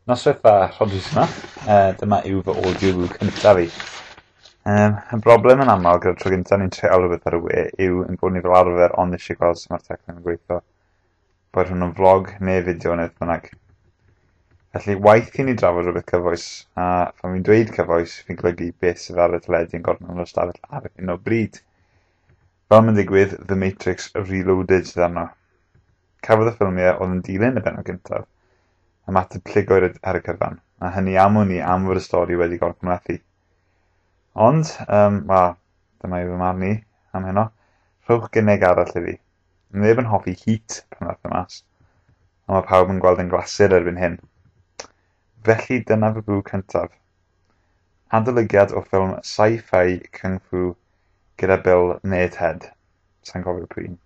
Noswaith dda, Rhodri sy 'ma. Dyma yw fy audiobook cyntaf i. Y broblem yn aml gyda'r tro gyntaf ni'n treial rhywbeth ar y we yw ein bod ni fel arfer ond eisiau gweld sut mae'r teclyn yn gweithio. Boed hwnnw'n vlog neu fideo neu beth bynnag. Felly, waeth i ni drafod rhywbeth cyfoes, a phan fi'n dweud cyfoes, fi'n golygu beth sydd ar y teledu yn gornel yr ystafell ar hyn o bryd. Fel mae'n digwydd, The Matrix Reloaded sydd arno. Cafodd y ffilmiau oedd yn dilyn y bennod gyntaf ymateb llugoer ar y cyfan, a hynny am wn i am fod y stori wedi gorgymhlethu. Ond, wel, dyma yw fy marn i am heno. Rhowch gynnig arall i fi. Neb yn hoffi Heat pan ddaeth e mas, ond mae pawb yn gweld yn glasur erbyn hyn. Felly dyna fy bw cyntaf. Adolygiad o ffilm sci-fi kung fu gyda Bill neu Ted. Sa i'n cofio pwy un.